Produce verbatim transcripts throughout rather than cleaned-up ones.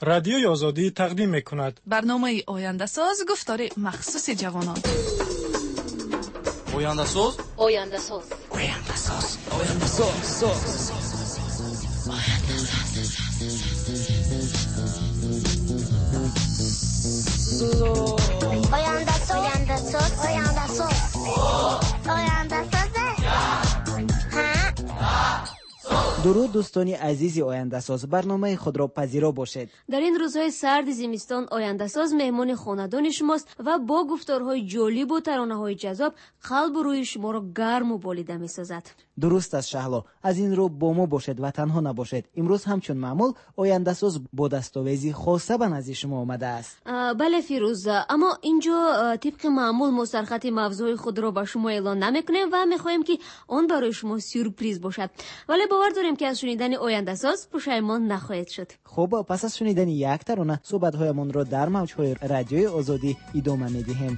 Радиои Озодӣ тақдим мекунад. Барномаи Ояндасоз, гуфтори махсуси ҷавонон. Ояндасоз, Ояндасоз, Ояндасоз, Ояндасоз, Ояндасоз, Ояндасоз, Ояндасоз, Ояндасоз. Дуруд, дӯстони азизи Ояндасоз, барномаи худро пазиро бошед. Дар ин рӯзҳои сарди зимистон Ояндасоз меҳмони хонадони шумост ва бо гуфторҳои ҷолибу таронаҳои ҷаззоб қалбу рӯҳи шуморо гарму болида месозад. Дуруст аст, Шаҳло. Аз ин рӯ бо мо бошед ва танҳо набошед. Имрӯз ҳамчун маъмул Ояндасоз бо дастовези хоса ба назди шумо омадааст. Бале, Фирӯз, аммо инҷо тибқи маъмул мо сархати мавзӯи худро ба шумо эълон намекунем ва мехоҳем, ки он барои шумо сюрприз бошад. Вале бовар дорем, ки аз шунидани Ояндасоз пушаймон нахоҳед шуд. Хуб, пас аз шунидани як тарона суҳбатҳоямонро дар мавҷҳои Радиои Озодӣ идома медиҳем.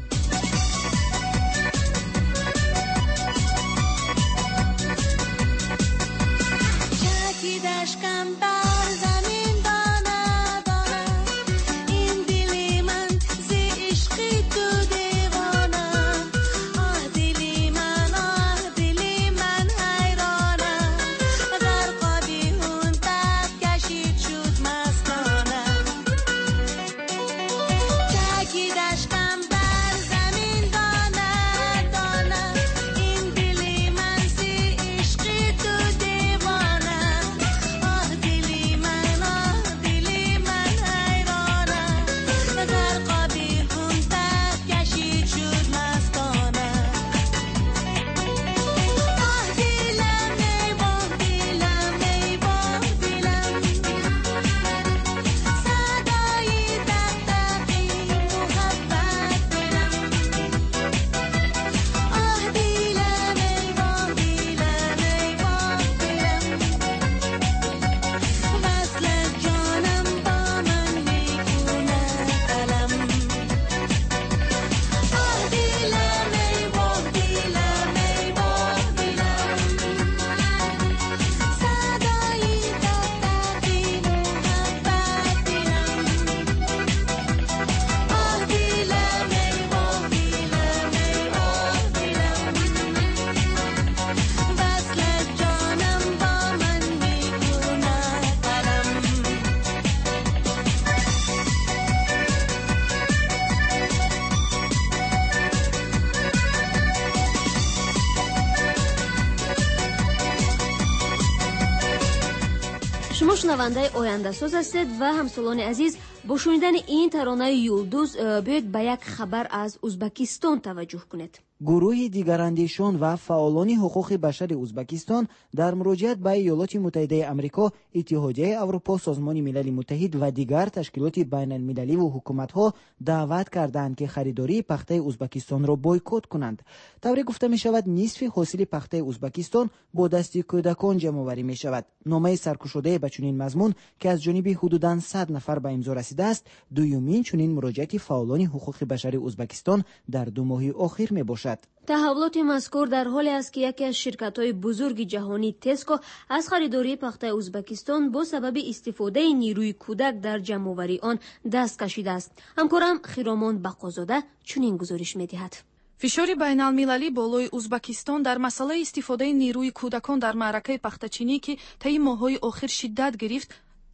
Шумо шунавандаи Ояндасоз ҳастед ва ҳамсолони азиз, бо шунидани ин таронаи Юлдуз биёед ба як хабар аз Узбакистон таваҷҷӯҳ кунед. Гурӯҳи дигарандешон ва фаъолони ҳуқуқи башари Узбакистон дар муроҷиат ба Иёлоти Муттаҳидаи Амрико, Иттиҳодияи Аврупо, Созмони Милали Муттаҳид ва дигар ташкилоти байналмилаливу ҳукуматҳо даъват кардаанд, ки харидории пахтаи Узбакистонро бойкот кунанд. Тавре гуфта мешавад, нисфи ҳосили пахтаи Узбакистон бо дасти кӯдакон ҷамъоварӣ мешавад. Номаи саркушодае ба чунин мазмун, ки аз ҷониби ҳудудан сад нафар ба имзо расидааст, дуюмин чунин муроҷиати фаъолони ҳуқуқи башари Узбакистон дар ду моҳи охир мебошад. Таҳаввулоти мазкур дар ҳоле аст, ки яке аз ширкатҳои бузурги ҷаҳонӣ Теско аз харидории пахтаи Узбакистон бо сабаби истифодаи нерӯи кӯдак дар ҷамъоварии он даст кашидааст. Ҳамкорам Хиромон Бақозода чунин гузориш медиҳад. Фишори байналмилалӣ болои Узбакистон дар масъалаи истифодаи нерӯи кӯдакон дар маъракаи пахтачинӣ, ки таи моҳҳои охир шиддат гирифт,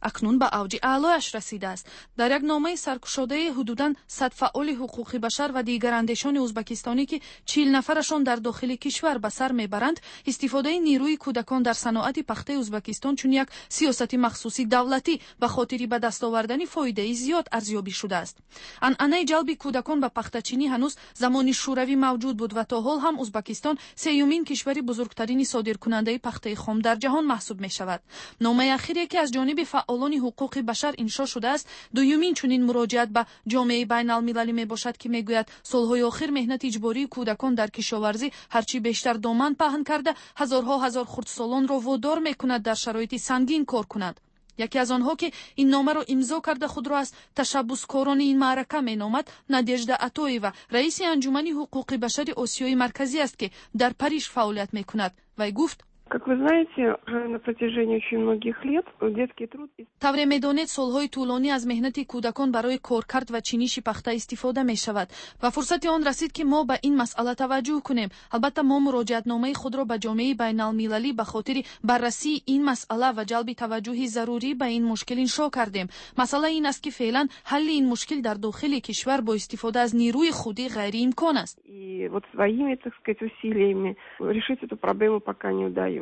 акнун ба авҷи аълояш расидааст. Дар як номаи саркушодаи ҳудудан сад фаъоли ҳуқуқи башар ва дигарандешони узбакистонӣ, ки чил нафарашон дар дохили кишвар ба сар мебаранд, истифодаи нерӯи кӯдакон дар саноати пахтаи Узбакистон чун як сиёсати махсуси давлатӣ ба хотири ба даст овардани фоидаи зиёд арзёбӣ шудааст. Анъанаи ҷалби кӯдакон ба пахтачинӣ ҳанӯз замони Шӯравӣ мавҷуд буд ва то ҳол ҳам Узбакистон сеюмин кишвари бузургтарини содиркунандаи пахтаи хом дар ҷаҳон маҳсуб мешавад. Номаи ахире, ки аз ҷониби фаъолони ҳуқуқи башар иншо шудааст, дуюмин чунин муроҷиат ба ҷомеаи байналмилалӣ мебошад, ки мегӯяд солҳои охир меҳнати иҷбории кӯдакон дар кишоварзӣ ҳарчи бештар доман паҳн карда, ҳазорҳо ҳазор хурдсолонро водор мекунад дар шароити сангин кор кунанд. Яке аз онҳо, ки ин номаро имзо карда худро аз ташаббускорони ин маърака меномад, Надежда Атоева, раиси Анҷумани ҳуқуқи башари Осиёи Марказӣ аст, ки дар Париж фаъолият мекунад. Вай гуфт: Как вы знаете, уже на протяжении очень многих лет детский труд... Тавре медонед, солҳои тӯлонӣ аз меҳнати кӯдакон барои коркард ва чиниши пахта истифода мешавад ва фурсати он расид, ки мо ба ин масъала таваҷҷӯҳ кунем. Албатта, мо муроҷиатномаи худро ба ҷомеаи байналмилалӣ ба хотири баррасии ин масъала ва ҷалби таваҷҷӯҳи зарурӣ ба ин мушкил иншо кардем. Масъала ин аст, ки феълан ҳалли ин мушкил дар дохили кишвар бо истифода аз нерӯи худӣ ғайриимкон аст. И вот своими, так сказать, усилиями решить эту проблему пока не удается.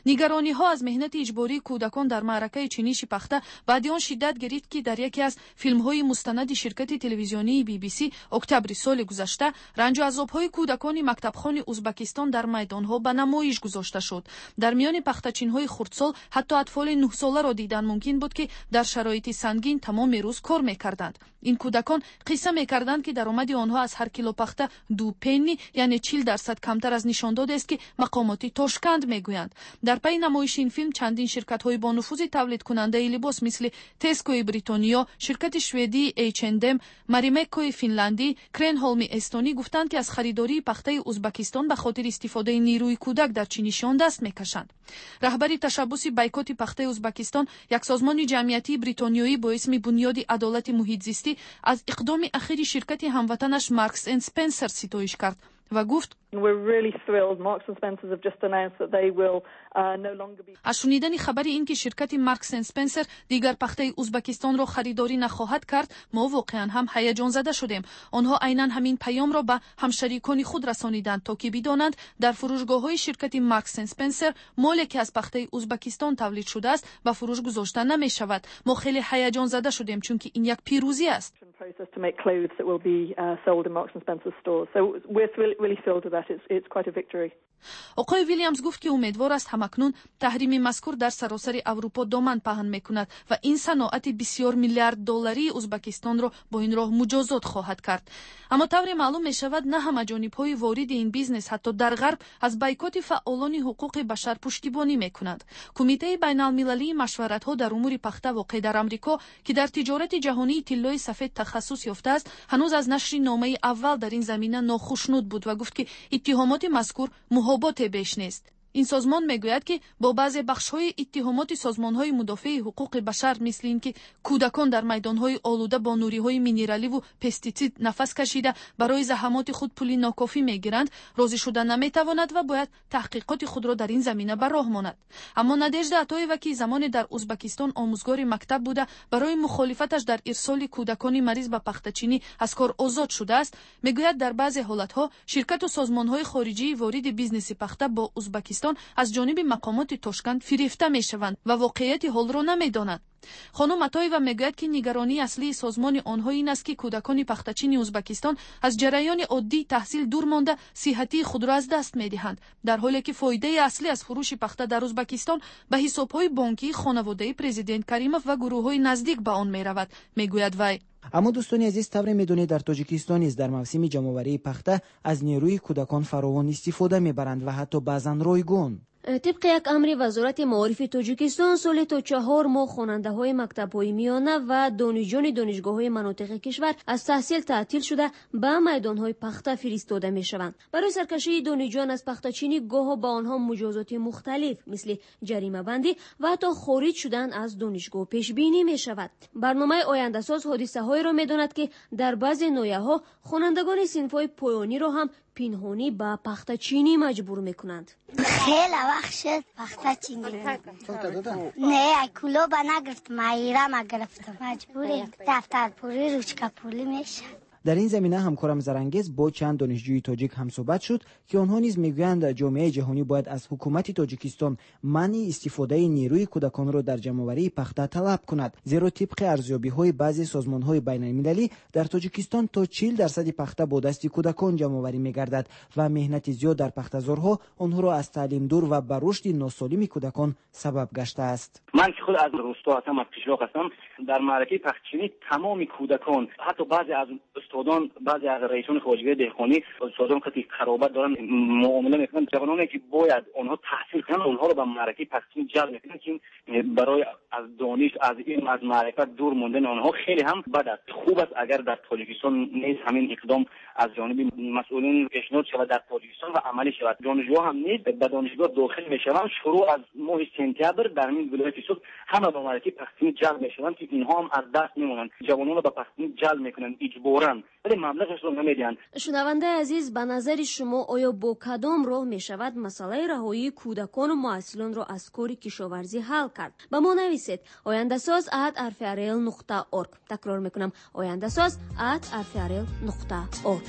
Нигарониҳо аз меҳнати иҷбории кӯдакон дар маъракаи чиниши пахта баъди он шиддат гирифт, ки дар яке аз филмҳои мустанади ширкати телевизионии Би Би Си октябри соли гузашта ранҷу азобҳои кӯдакони мактабхони Узбакистон дар майдонҳо ба намоиш гузошта шуд. Дар миёни пахтачинҳои хурдсол ҳатто атфоли нӯҳсоларо дидан мумкин буд, ки дар шароити сангин тамоми рӯз кор мекарданд. Ин кӯдакон қисса мекарданд, ки даромади онҳо аз ҳар кило пахта ду пенни, яъне чил дарсад камтар аз нишондодест, ки мақомоти Тошканд мегӯянд. Дар пайи намоиши ин филм чандин ширкатҳои бонуфузи тавлидкунандаи либос, мисли Тескои Бритониё, ширкати шведии H and M, Маримеккои финландӣ, Кренҳолми эстонӣ гуфтанд, ки аз харидории пахтаи Узбакистон ба хотири истифодаи нерӯи кӯдак дар чиниши он даст мекашанд. Раҳбари ташаббуси байкоти пахтаи Узбакистон, як созмони ҷамъиятии бритониёӣ бо исми Бунёди адолати муҳитзистӣ, аз иқдоми ахири ширкати ҳамватанаш Маркс энд Спенсер ситоиш кард ва гуфт: Uh, аз шунидани хабари ин ки ширкати Маркс энд Спенсер дигар пахтаи Узбакистонро харидорӣ нахоҳад кард, мо воқеан ҳам ҳаяҷонзада шудем. Онҳо айнан ҳамин паёмро ба ҳамшарикони худ расониданд, то ки бидонанд, дар фурӯшгоҳҳои ширкати Маркс энд Спенсер моле, ки аз пахтаи Узбакистон тавлид шудааст, ба фурӯш гузошта намешавад. Мо хеле ҳаяҷонзада шудем, чунки ин як пирӯзӣ аст. Process to make clothes that will be uh, sold in Marks and Spencer's stores. So we're really, really thrilled with that. It's, it's quite a victory. Оқои Вилямс гуфт, ки умедвор аст, ҳамакнун таҳрими мазкур дар саросари Аврупо доман паҳн мекунад ва ин саноати бисёр миллиард долларии Узбакистонро бо ин роҳ муҷозот хоҳад кард. Аммо тавре маълум мешавад, на ҳама ҷонибҳои вориди ин бизнес ҳатто дар Ғарб аз байкоти фаъолони ҳуқуқи башар пуштибонӣ мекунанд. Кумитаи байналмилалии машваратҳо дар умури пахта, воқеъ дар Амрико, ки дар тиҷорати ҷаҳонии тиллои сафед тахассус ёфтааст, ҳанӯз аз нашри номаи аввал дар ин замина нохушнуд буд ва гуфт, ки иттиҳомоти мазкур муҳоботе беш нест. Ин созмон мегӯяд, ки бо баъзе бахшҳои иттиҳомоти созмонҳои мудофиаи ҳуқуқи башар, мисли ин ки кӯдакон дар майдонҳои олуда бо нуриҳои минераливу пеститсид нафас кашида, барои заҳамоти худ пули нокофӣ мегиранд, розӣ шуда наметавонад ва бояд таҳқиқоти худро дар ин замина ба роҳ монад. Аммо Надежда Атоева, ки замоне дар Узбакистон омӯзгори мактаб буда, барои мухолифаташ дар ирсоли кӯдакони мариз ба пахтачинӣ аз кор озод шудааст, мегӯяд, дар баъзе ҳолатҳо ширкату созмонҳои хориҷии вориди бизнеси пахта бо Узбакистон аз ҷониби мақомоти Тошканд фирефта мешаванд ва воқеияти ҳолро намедонанд. Хонум Атоева мегӯяд, ки нигаронии аслии созмони онҳо ин аст, ки кӯдакони пахтачини Узбакистон аз ҷараёни оддии таҳсил дур монда, сиҳатии худро аз даст медиҳанд, дар ҳоле ки фоидаи аслӣ аз фурӯши пахта дар Узбакистон ба ҳисобҳои бонкии хонаводаи президент Каримов ва гурӯҳҳои наздик ба он меравад, мегӯяд вай. Аммо, дӯстони азиз, тавре медонед, дар Тоҷикистон низ дар мавсими ҷамъоварии пахта аз нерӯи кӯдакон фаровон истифода мебаранд ва ҳатто баъзан ройгон. Тибқи як амри Вазорати маорифи Тоҷикистон, соли то чаҳор моҳ хонандаҳои мактабҳои миёна ва донишҷӯёни донишгоҳҳои манотиқи кишвар аз таҳсил таътил шуда, ба майдонҳои пахта фиристода мешаванд. Барои саркашии донишҷӯён аз пахтачинӣ гоҳо ба онҳо муҷозоти мухталиф, мисли ҷаримабандӣ ва ҳатто хориҷ шудан аз донишгоҳ пешбинӣ мешавад. Барномаи Ояндасоз ҳодисаҳоеро медонад, ки дар баъзе ноҳияҳо хонандагони синфҳои поёниро ҳам пинҳонӣ ба пахтачинӣ маҷбур мекунанд. Хеле вақт шуд пахтачинӣ. Не, Кӯлоба нагирифтам, Айрама гирифтам. Маҷбурем, дафтарпулӣ, ручкапулӣ мешавад. Дар ин замина ҳамкорам Зарангез бо чанд донишҷӯи тоҷик ҳамсӯҳбат шуд, ки онҳо низ мегӯянд, ҷомеаи ҷаҳонӣ бояд аз ҳукумати Тоҷикистон манъи истифодаи нерӯи кӯдаконро дар ҷамъоварии пахта талаб кунад, зеро тибқи арзёбиҳои баъзе созмонҳои байналмилалӣ дар Тоҷикистон то чил дарсади пахта бо дасти кӯдакон ҷамъоварӣ мегардад ва меҳнати зиёд дар пахтазорҳо онҳоро аз таълим дур ва ба рушди носолими кӯдакон сабаб гаштааст. Ман ки худ аз рӯсто ҳастам, аз қишлоқ ҳастам, дар маъракаи пахтачинӣ тамоми кӯдакон, ҳатто баъзе аз Устодон, баъзе аз раисони хоҷагии деҳқонӣ устодон қати қаробат доранд, муомила мекунанд. Ҷавононе ки бояд онҳо таҳсил кунанд, онҳоро ба маъракаи пахтачинӣ ҷалб мекунанд, ки барои аз дониш, аз илм, аз маърифат дур мондани онҳо хеле ҳам бад аст. Хуб аст агар дар Тоҷикистон низ ҳамин иқдом аз ҷониби масъулин пешниҳод шавад дар Тоҷикистон ва амалӣ шавад. Донишҷӯ ҳам низ ба донишгоҳ дохил мешаванд. Шурӯъ аз моҳи сентябр дар ҳамин вилояти Суғд ҳама ба маъракаи пахтачинӣ ҷалб мешаванд, ки инҳо ҳам аз даст мемонанд. Ҷавононро ба пахтачинӣ ҷалб мекунанд иҷборан, вале маблағашро намедиҳанд. Шунавандаи азиз, ба назари шумо оё бо кадом роҳ мешавад масъалаи раҳоии кӯдакону муҳассилонро аз кори кишоварзӣ ҳал кард? Ба мо нависед ояндасоз at rfrl нуқта org. Такрор мекунам, ояндасоз at rfrl нуқта org.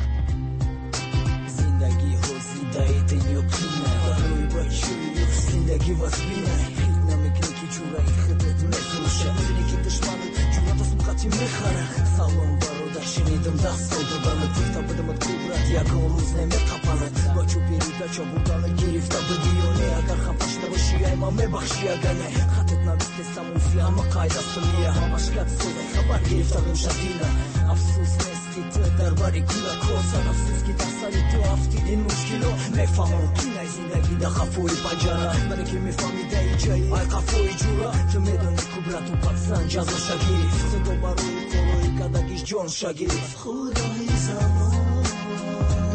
Зиндагӣ ҳозидаи дунё қина, барои бачаи ёш зиндагӣ вазмина. Хит намекунӣ ки ҷураи худат мефурӯша, мебинӣ ки душманат ҷуръат аз муқати мехара. Салом бародар, шунидам даст сол доданат, гуфта будамат ку брат ягон рӯз намеқапанат. Ба чӯпири дача бурданат гирифта будӣ ё не? Агар хафа шуда бошӣ, ай ман мебахшӣ агар не. Хатет навистесам узи ҳама қайд асту мия, ҳамаш гап созай хабар гирифта будам шадина. Афсӯс нест ки ту дар бари кӯдако, сад афсӯс ки дар сари ту афтид ин мушкило. Мефаҳмам қинаи зиндагӣ дар қафои панҷара, вале ки мефаҳмидаи ҷаи ай қафои ҷура. Ту медонӣ ку брату патсан ҷазоша гирифт, садо барои корои кадагиш ҷонша гирифт. Худои замон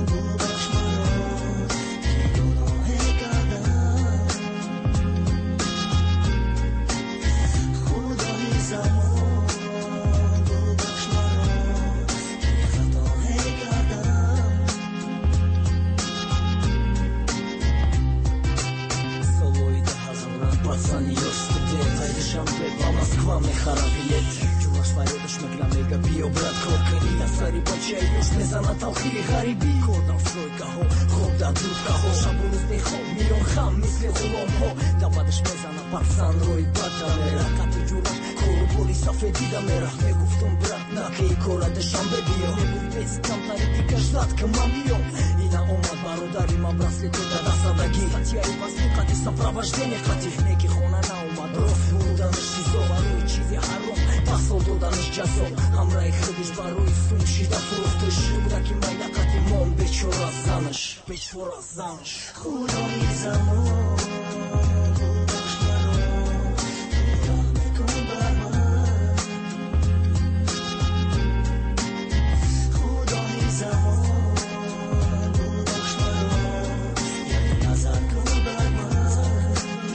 бубахш маро, ки гуноҳе кардам. Худои замон бубахш маро, ки хатое кардам. Солҳои даҳазорам пацани ёш студент, ай Душанбе ба Москва мехара билет. Ҷураш фарёдаш мекунам, мега биё брат кор кунӣ. Дар сари бачаи ёш мезанад талхии ғарибӣ. Кор дар стройкаҳо, хоб дар дудкаҳо, шабу рӯз бехоб миён хам мисли ғуломҳо. Давадаш мезанад пацан рои бад намера, қати ҷураш кору бори сафед дида мерафт. Мегуфтум брат наки кора Душанбе биё, мегуфт бес камтари дига ждат ки ман биём. Ина омад бародари ман браслету дар дастадагӣ, статьяи вазни қати сопровождение қати. Неки хона наомад, рост бурданаш сизо, барои чизи ҳаром даҳ сол доданаш ҷазо. Ҳамраҳи худиш барои сум шида фурӯхтиш, кӯдаки майда қати мон бечора занаш, бечора занаш. Худои замон бубахш маро, раҳм кун бар ман. Худои замон бубахш маро, як назар кун бар ман.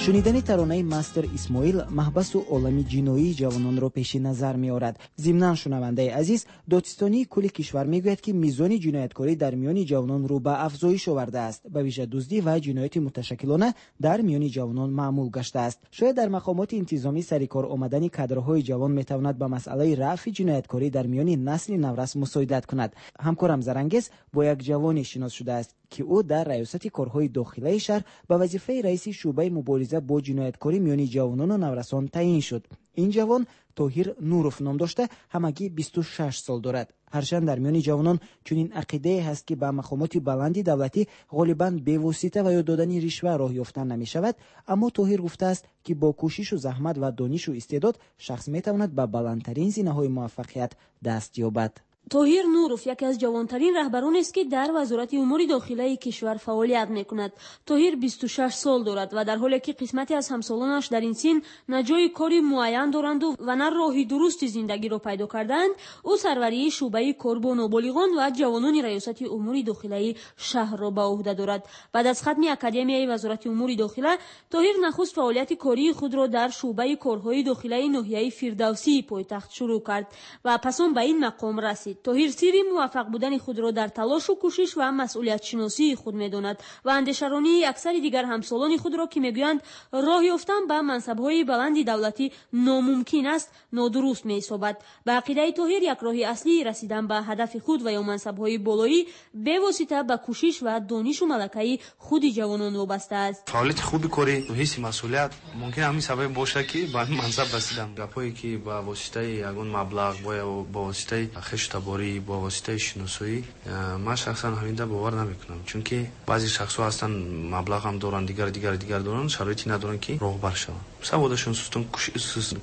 Шунидани таронаи мастер Исмоил маҳбасу олами ҷиноии ҷавононро пеши назар меорад. Зимнан, шунавандаи азиз, додситонии кулли кишвар мегӯяд, ки мизони ҷинояткорӣ дар миёни ҷавонон рӯ ба афзоиш овардааст. Ба вижа дуздӣ ва ҷинояти муташаккилона дар миёни ҷавонон маъмул гаштааст. Шояд дар мақомоти интизомӣ сари кор омадани кадрҳои ҷавон метавонад ба масъалаи рафъи ҷинояткорӣ дар миёни насли наврас мусоидат кунад. Ҳамкорам Зарангез бо як ҷавоне шинос шудааст, ки ӯ дар раёсати корҳои дохилаи шаҳр ба вазифаи раиси шӯъбаи мубориза бо ҷинояткорӣ миёни ҷавонону наврасон таъин шуд. Ин ҷавон Тоҳир Нуров ном дошта, ҳамагӣ бисту шаш сол дорад. Ҳарчанд дар миёни ҷавонон чунин ақидае ҳаст, ки ба мақомоти баланди давлатӣ ғолибан бевосита ва ё додани ришва роҳ ёфта намешавад, аммо Тоҳир гуфтааст, ки бо кӯшишу заҳмат ва донишу истеъдод шахс метавонад ба баландтарин зинаҳои муваффақият даст ёбад. Тоҳир Нуров яке аз ҷавонтарин раҳбаронест, ки дар Вазорати умури дохилаи кишвар фаъолият мекунад. Тоҳир бисту шаш сол дорад ва дар ҳоле ки қисмате аз ҳамсолонаш дар ин син на ҷои кори муайян доранду ва на роҳи дурусти зиндагиро пайдо кардаанд, ӯ сарварии шӯъбаи кор бо ноболиғон ва ҷавонони раёсати умури дохилаи шаҳрро ба ӯҳда дорад. Баъд аз хатми Академияи Вазорати умури дохила, Тоҳир нахуст фаъолияти кории худро дар шӯъбаи корҳои дохилаи ноҳияи Фирдавсии пойтахт шурӯъ кард ва пас он ба ин мақом расид. Тоҳир сирри муваффақ будани худро дар талошу кӯшиш ва масъулиятшиносии худ медонад ва андешаронии аксари дигар ҳамсолони худро, ки мегӯянд роҳ ёфтан ба мансабҳои баланди давлатӣ номумкин аст, нодуруст меҳисобад. Ба ақидаи Тоҳир, як роҳи аслии расидан ба ҳадафи худ ва ё мансабҳои болоӣ бевосита ба кӯшиш ва донишу малакаи худи ҷавонон вобаста аст. Фаъолияти хуби корӣ, ҳисси масъулият мумкин ҳамин сабаб бошад, ки ба ҳамин мансаб расидам. Гапҳое ки ба воситаи ягон маблағ бо воситаи хешу таборӣ, бо воситаи шиносоӣ, ман шахсан ҳаминда бовар намекунам, чунки баъзе шахсҳо ҳастанд маблағ ҳам доранд, дигар дигар дигар доранд, шароите надоранд ки роҳбар шаванд. Саводашон сустон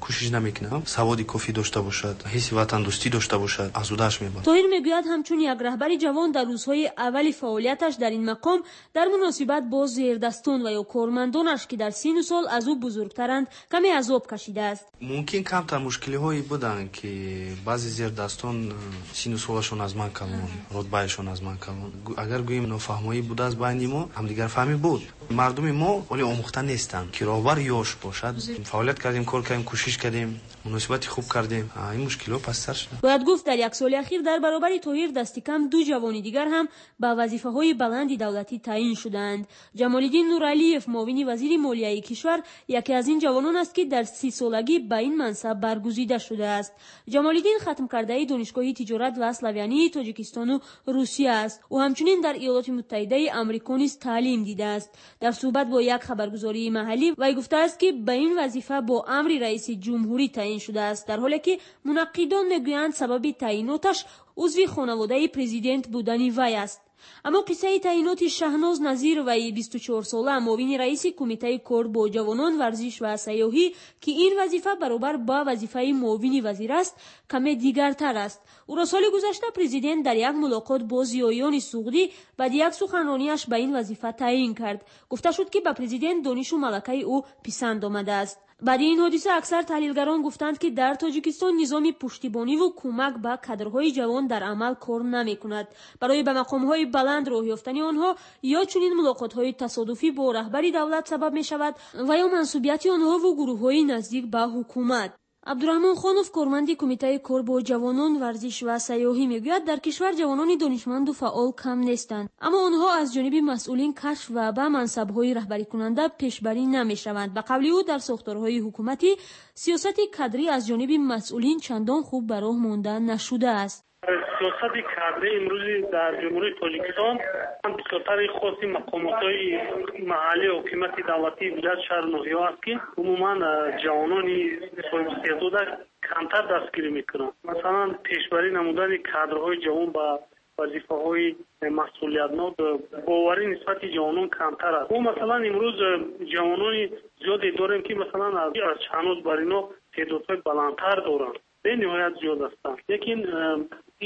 кӯшиш намекунад, саводи кофӣ дошта бошад, ҳисси ватандӯстӣ дошта бошад, аз удааш мебарад. Тоҳир мегӯяд, ҳамчун як раҳбари ҷавон дар рӯзҳои аввали фаъолияташ дар ин мақом дар муносибат бо зердастон ва ё кормандонаш, ки дар сину сол аз ӯ бузургтаранд, каме азоб кашидааст. Мумкин камтар мушкилиҳое буданд, ки баъзе зердастон сину солашон аз ман калон, рутбаашон аз ман калон. Агар гӯем нофаҳмоӣ будааст байни мо, ҳамдигарфаҳмӣ буд. Мардуми мо ҳоло омӯхта нестанд, ки роҳбар ёш бошад. Фаъолият кардем, кор кардем, кӯшиш кардем, муносибати хуб кардем. Ин мушкилҳо пасттар шуданд. Бояд гуфт, дар як соли ахир дар баробари Тоҳир дасти кам ду ҷавони дигар ҳам ба вазифаҳои баланди давлатӣ таъин шудаанд. Ҷамолиддин Нуралиев, муовини вазири молияи кишвар, яке аз ин ҷавонон аст, ки дар сисолагӣ ба ин мансаб баргузида шудааст. Ҷамолиддин хатмкардаи Донишгоҳи тиҷорат ва славянии Тоҷикистону Русия аст. Ӯ ҳамчунин дар Иёлоти Муттаҳидаи Амрико низ таълим дидааст. Дар суҳбат бо як хабаргузории маҳаллӣ вай гуфтааст, ки ба ин вазифа бо амри раиси ҷумҳурӣ таъин шудааст, дар ҳоле ки мунаққидон мегӯянд, сабаби таъиноташ узви хонаводаи президент будани вай аст. Аммо қиссаи таъиноти Шаҳноз Назироваи бисту чорсола, муовини раиси Кумитаи кор бо ҷавонон, варзиш ва сайёҳӣ, ки ин вазифа баробар ба вазифаи муовини вазир аст, каме дигартар аст. Ӯро соли гузашта президент дар як мулоқот бо зиёиёни суғдӣ баъди як суханронияш ба ин вазифа таъин кард. Гуфта шуд, ки ба президент донишу малакаи ӯ писанд омадааст. Баъди ин ҳодиса аксар таҳлилгарон гуфтанд, ки дар Тоҷикистон низоми пуштибониву кӯмак ба кадрҳои ҷавон дар амал кор намекунад. Барои ба мақомҳои баланд роҳ ёфтани онҳо ё чунин мулоқотҳои тасодуфӣ бо раҳбари давлат сабаб мешавад ва ё мансубияти онҳову гурӯҳҳои наздик ба ҳукумат. Абдураҳмон Хонов, корманди Кумитаи кор бо ҷавонон, варзиш ва сайёҳӣ, мегӯяд, дар кишвар ҷавонони донишманду фаъол кам нестанд, аммо онҳо аз ҷониби масъулин кашф ва ба мансабҳои раҳбарикунанда пешбарӣ намешаванд. Ба қавли ӯ, дар сохторҳои ҳукуматӣ сиёсати кадрӣ аз ҷониби масъулин чандон хуб ба роҳ монда нашудааст. Сиёсати кадрӣ имрӯзи дар Ҷумҳурии Тоҷикистон бисёртари хоси мақомотҳои маҳаллии ҳокимияти давлатии вилоят, шаҳру ноҳияҳо аст, ки умуман ҷавонони соҳибистеъдода камтар дастгирӣ мекунанд. Масалан, пешбарӣ намудани кадрҳои ҷавон ба вазифаҳои масъулиятнок, боварӣ нисбати ҷавонон камтар аст. Мо, масалан, имрӯз ҷавонони зиёде дорем, ки, масалан, аз Шаҳноз бар ино теъдодҳои баландтар доранд, бениҳоят зиёд ҳастанд, лекин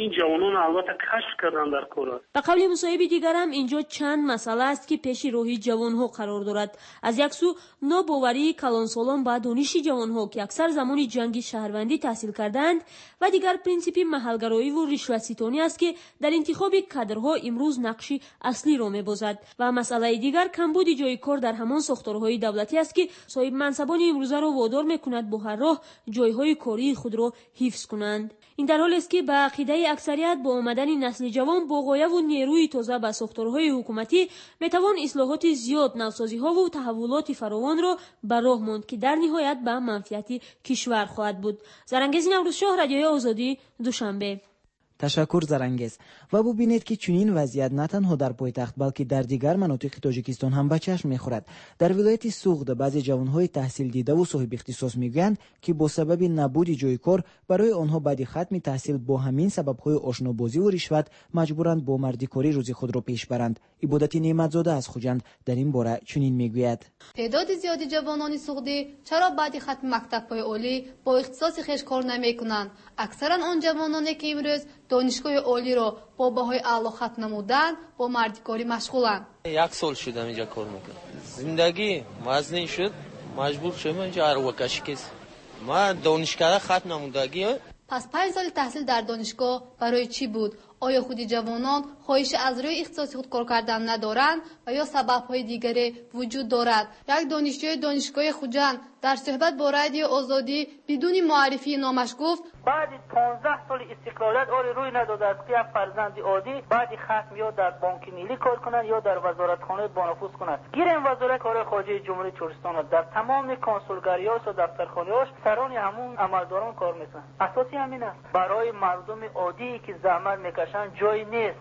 ин ҷавонон албатта кашф кардан дар кор аст. Ба қавли мусоҳиби дигарам, инҷо чанд масъала аст, ки пеши роҳи ҷавонҳо қарор дорад. Аз як сӯ, нобоварии калонсолон ба дониши ҷавонҳо, ки аксар замони ҷанги шаҳрвандӣ таҳсил кардаанд, ва дигар принсипи маҳалгароиву ришватситонӣ аст, ки дар интихоби кадрҳо имрӯз нақши аслиро мебозад. Ва масъалаи дигар камбуди ҷои кор дар ҳамон сохторҳои давлатӣ аст, ки соҳибмансабони имрӯзаро водор мекунад бо ҳар роҳ ҷойҳои кории худро ҳифз кунанд. Ин дар ҳолест, ки ба ақидаи аксарият бо омадани насли ҷавон бо ғояву нерӯи тоза ба сохторҳои ҳукуматӣ метавон ислоҳоти зиёд, навсозиҳову таҳаввулоти фаровонро ба роҳ монд, ки дар ниҳоят ба манфиати кишвар хоҳад буд. Зарангези Наврӯзшоҳ, Радиои Озодӣ, Душанбе. Ташаккур, Зарангез. Ва бубинед, ки чунин вазъият на танҳо дар пойтахт, балки дар дигар манотиқи Тоҷикистон ҳам ба чашм мехӯрад. Дар вилояти Суғд баъзе ҷавонҳои таҳсилдидаву соҳибихтисос мегӯянд, ки бо сабаби набуди ҷои кор барои онҳо баъди хатми таҳсил, бо ҳамин сабабҳои ошнобозиву ришват маҷбуранд бо мардикорӣ рӯзи худро пеш баранд. Ибодати Неъматзода аз Хуҷанд дар ин бора чунин мегӯяд. Теъдоди зиёди ҷавонони суғдӣ чаро баъди хатми мактабҳои олӣ бо ихтисоси хеш кор намекунанд? Аксаран он ҷавононе, ки имрӯз донишгоҳи олиро бо баҳои аъло хатм намуданд, бо мардикорӣ машғуланд. Як сол шудам инҷа кор мекунам. Зиндагӣ вазнин шуд, маҷбур шудам инҷа арвакашӣ кес. Ман донишкада хатм намудагӣ. Пас панҷ соли таҳсил дар донишгоҳ барои чӣ буд? Оё худи ҷавонон хоҳиши аз рӯи ихтисоси худ кор кардан надоранд ва ё сабабҳои дигаре вуҷуд дорад? Як донишҷӯи донишгоҳи Хуҷанд дар суҳбат бо Радиои Озодӣ бидуни муаррифии номаш гуфт: баъди понздаҳ соли истиқлолият оре рӯй надодааст, ки як фарзанди оддӣ баъди хатм ё дар Бонки Миллӣ кор кунад, ё дар вазоратхонаи бонуфуз кунад. Гирем Вазорати корҳои хориҷаи Ҷумҳурии Тоҷикистонро, дар тамоми консулгариҳош ва дафтархонаҳош сарони ҳамун амалдорон кор мекунанд. Асоси ҳамин аст, барои мардуми оддие, ки заҳмат мекашанд, ҷой нест.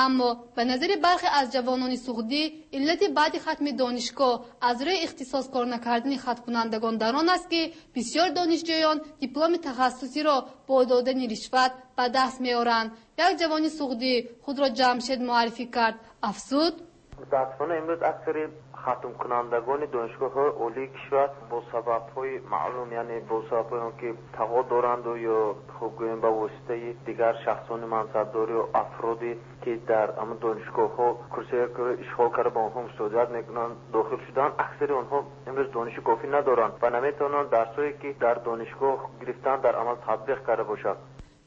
Аммо ба назари бархе аз ҷавонони суғдӣ, иллати баъди хатми донишгоҳ аз рӯи ихтисос кор накардани хатмкунандагон дар он аст, ки бисёр донишҷӯён дипломи тахассусиро бо додани ришват ба даст меоранд. Як ҷавони суғдӣ худро Ҷамшед муаррифӣ кард, афзуд: Мутаассифона имрӯз аксари хатмкунандагони донишгоҳҳои олии кишвар бо сабабҳои маълум, яъне бо сабабҳои он ки тағо доранд ё хуб гӯем ба воситаи дигар шахсони мансабдор ё афроде ки дар ҳамон донишгоҳҳо курсиҳоро ишғол карда ба онҳо мусоидат мекунанд дохил шуданд, аксари онҳо имрӯз дониши кофӣ надоранд ва наметавонанд дарсҳое ки дар донишгоҳ гирифтанд дар амал татбиқ карда бошанд.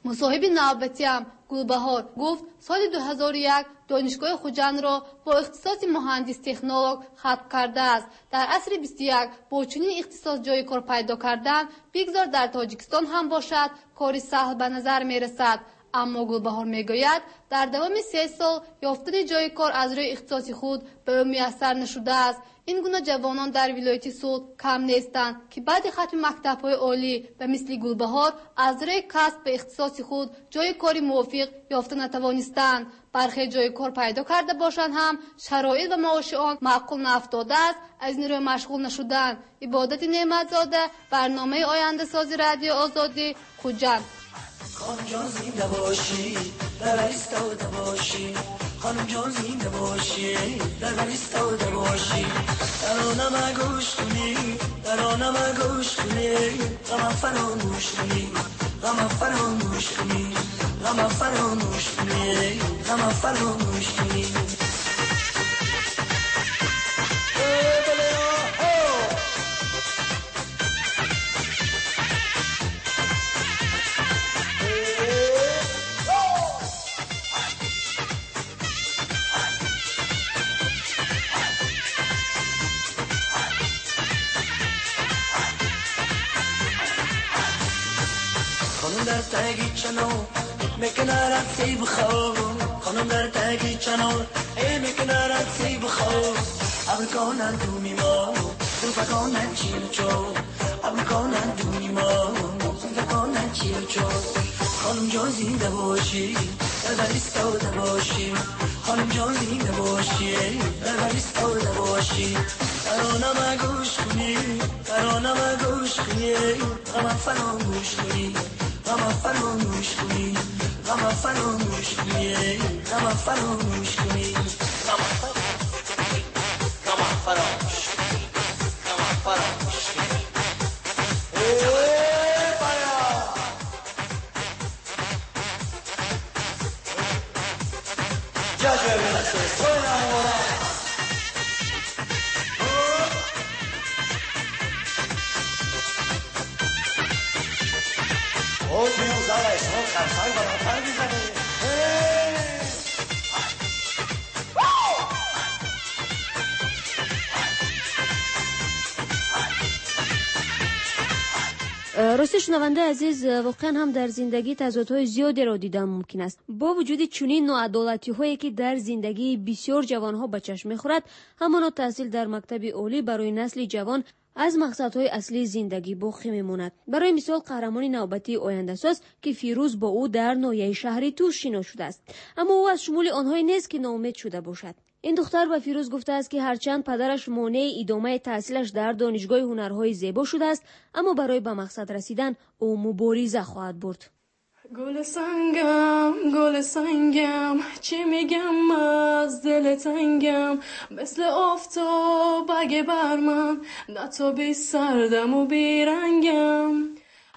Мусоҳиби навбатиам Гулбаҳор гуфт соли ду ҳазору як донишгоҳи Хуҷандро бо ихтисоси муҳандис-технолог хатм кардааст. Дар асри бисту як бо чунин ихтисос ҷои кор пайдо кардан бигзор дар Тоҷикистон ҳам бошад, кори саҳл ба назар мерасад. Аммо Гулбаҳор мегӯяд дар давоми се сол ёфтани ҷои кор аз рӯи ихтисоси худ ба ӯ муяссар нашудааст. Ин гуна ҷавонон дар вилояти Суғд кам нестанд, ки баъди хатми мактабҳои олӣ ба мисли Гулбаҳор аз рӯи касб ба ихтисоси худ ҷои кори мувофиқ ёфта натавонистанд. Бархе ҷои кор пайдо карда бошанд ҳам шароит ва маоши он маъқул наафтодааст, аз ин рӯ машғул нашуданд. Ибодати Неъматзода, барномаи ояндасози Радиои Озодӣ, Хуҷанд. خانم جان زنده باشی در ایستاده باشی، خانم جان زنده باشی در ایستاده باشی، ترانه گوش کنی ترانه گوش کنی، غم فراموش کنی غم فراموش کنی غم فراموش کنی غم فراموش کنی. در تاگی چنو میکنارت سیب خو، خانم در تاگی چنو ای میکنارت سیب خو، ابر کنن دومی ما زلفا کنن چیل چو، ابر کنن دومی ما زلفا کنن چیل چو. خانم جان زنده باشی در بر ایستاده باشی، خانم جان زنده باشی در بر ایستاده باشی، ترانه گوش کنی ترانه گوش کنی، غم فراموش کنی غم فراموش کنی غم فراموش کنی غم فراموش کنی غم فراموش کنی غم فراموش کنی. Рости шунавандаи азиз, воқеан ҳам дар зиндагӣ тазодҳои зиёдеро дидан мумкин аст. Бо вуҷуди чунин ноадолатиҳое ки дар зиндагии бисёр ҷавонҳо ба чашм мехӯрад, ҳамоно таҳсил дар мактаби олӣ барои насли ҷавон аз мақсадҳои аслии зиндагӣ боқӣ мемонад. Барои мисол, қаҳрамони навбатии ояндасоз, ки Фирӯз бо ӯ дар ноҳияи шаҳри Тӯс шинос шудааст, аммо ӯ аз шумули онҳое нест ки ноумед шуда бошад. Ин духтар ба Фирӯз гуфтааст, ки ҳарчанд падараш монеи идомаи таҳсилаш дар донишгоҳи ҳунарҳои зебо шудааст, аммо барои ба мақсад расидан ӯ мубориза хоҳад бурд. گل سنگم گل سنگم چی میگم از دل تنگم، مثل آفتاب اگه بر من نه تو بی سردم و بی رنگم،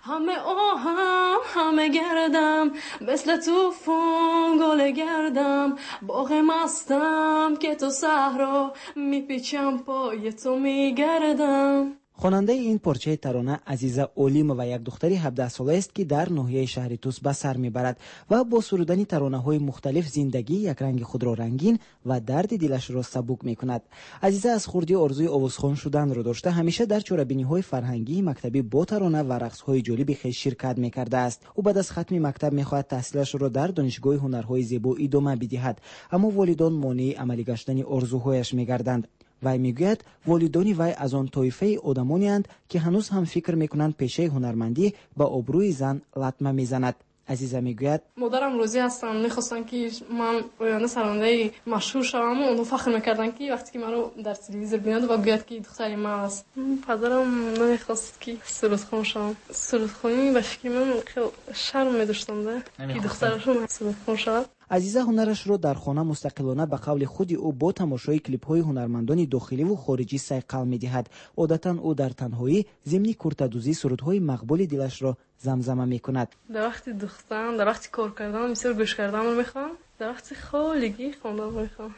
همه آهم همه گردم مثل توفان گل گردم، باغ مستم که تو صحرا میپیچم پای تو میگردم. Хонандаи ин порчаи тарона Азиза Олимова як духтари ҳабдаҳсола аст, ки дар ноҳияи шаҳри Тӯс ба сар мебарад ва бо сурудани таронаҳои мухталиф зиндагии якранги худро рангин ва дарди дилашро сабук мекунад. Азиза аз хурдӣ орзуи овозхон шуданро дошта, ҳамеша дар чорабиниҳои фарҳангии мактабӣ бо тарона ва рақсҳои ҷолиби хеш ширкат мекардааст. Ӯ баъд аз хатми мактаб мехоҳад таҳсилашро дар донишгоҳи ҳунарҳои зебо идома бидиҳад, аммо волидон монеи амалӣ гаштани орзуҳояш мегарданд. Вай мегӯяд, волидони вай аз он тоифаи одамонеанд, ки ҳанӯз ҳам фикр мекунанд пешаи ҳунармандӣ ба обрӯи зан латма мезанад. Азиза мегӯяд: модарам розӣ ҳастанд, мехостанд ки ман оянда сарандаи машҳур шавам. Онҳо фахр мекарданд, ки вақте ки маро дар телевизор бинанд ва гӯяд, ки духтари ман аст. Падарам намехост, ки сурудхон шавам. Сурудхонӣ ба фикри ман хеле шарм медоштанд, ки духтарашон сурудхон шавад. Азиза ҳунарашро дар хона мустақилона ба қавли худи ӯ бо тамошои клипҳои ҳунармандони дохиливу хориҷӣ сайқал медиҳад. Одатан ӯ дар танҳоӣ зимни куртадӯзӣ сурудҳои мақбули дилашро замзама мекунад. Дар вақти духтан, дар вақти кор кардан бисёр гӯш карданро мехоҳам, дар вақти холигӣ хонданро мехоҳам.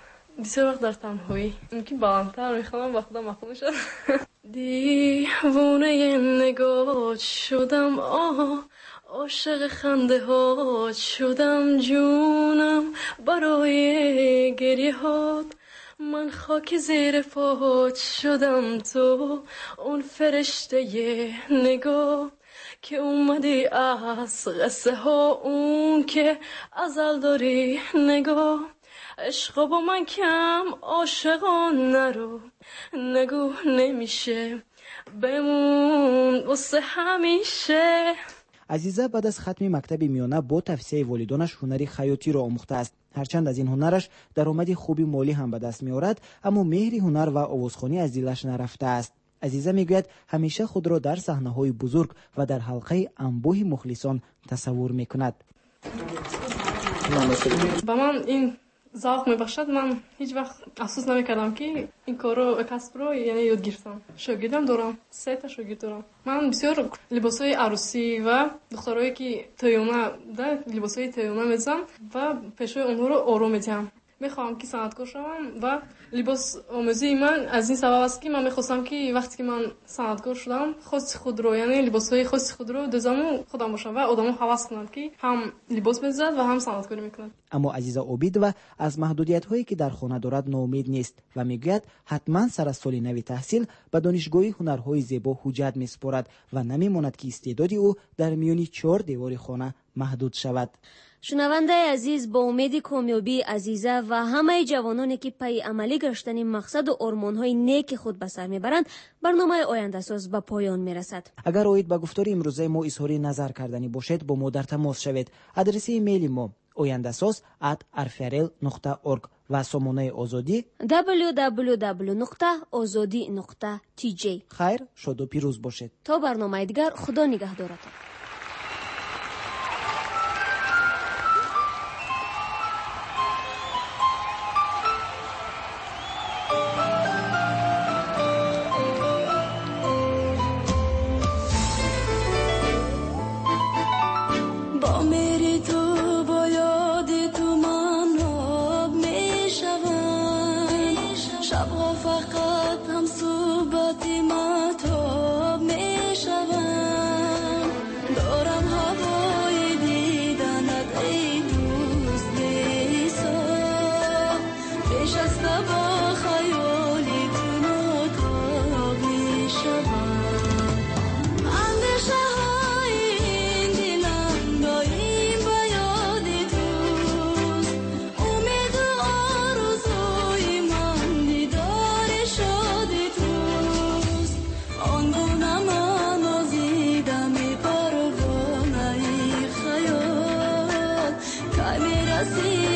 Бисёр вақт дар танҳоӣ мумкин баландтар мехонам, ба худам маъқул мешавад. Девонаи нигоҳ шудам, оҳ, ошиқи хандаҳот шудам, ҷонам барои гирьяҳот, ман хоки зери пот шудам, ту он фариштаи нигоҳ ки омадӣ аз қиссаҳо, он ки азал дорӣ нигоҳ, عشق با من کم عاشقان نرو، نگو نمیشه بمون واسه همیشه. Азиза баъд аз хатми мактаби миёна бо тавсияи волидонаш ҳунари хаётиро омӯхтааст. Ҳарчанд аз ин ҳунараш даромади хуби молӣ ҳам ба даст меорад, аммо меҳри ҳунар ва овозхонӣ аз дилаш нарафтааст. Азиза мегӯяд, ҳамеша худро дар саҳнаҳои бузург ва дар ҳалқаи анбӯҳи мухлисон тасаввур мекунад. Ба ман ин завқ мебахшад. Ман ҳеҷ вақт афсӯс намекардам, ки ин корро, касбро яъне ёд гирифтам. Шогирдам дорам, се та шогирд дорам. Ман бисёр либосҳои арӯсӣ ва духтарое ки тӯёна да либосҳои тӯёна медӯзам ва пешҳои онҳоро ором медиҳам. Мехоҳам ки санъаткор шавам ва либос омӯзии ман аз ин сабаб аст, ки ман мехостам, ки вақте ки ман санъаткор шудам, хоси худро, яъне либосҳои хоси худро дӯзаму худам бошам ва одамо ҳавас кунанд, ки ҳам либос медӯзад ва ҳам санъаткорӣ мекунад. Аммо Азиза Обидова аз маҳдудиятҳое ки дар хона дорад ноумед нест ва мегӯяд, ҳатман сар аз соли нави таҳсил ба донишгоҳи ҳунарҳои зебо ҳуҷҷат месупорад ва намемонад, ки истеъдоди ӯ дар миёни чор девори хона маҳдуд шавад. Шунавандаи азиз, бо умеди комёбии Азиза ва ҳамаи ҷавононе, ки пайи амалӣ гаштани мақсаду ормонҳои неки худ ба сар мебаранд, барномаи ояндасоз ба поён мерасад. Агар оид ба гуфтори имрӯзаи мо изҳори назар карданӣ бошед, бо мо дар тамос шавед. Адреси имейли мо ояндасоз at rfrl нуқта org ва сомонаи Озодӣ w w w нуқта озодӣ нуқта t j. Хайр, шоду пирӯз бошед. То барномаи дигар, Худо нигаҳдоратон. See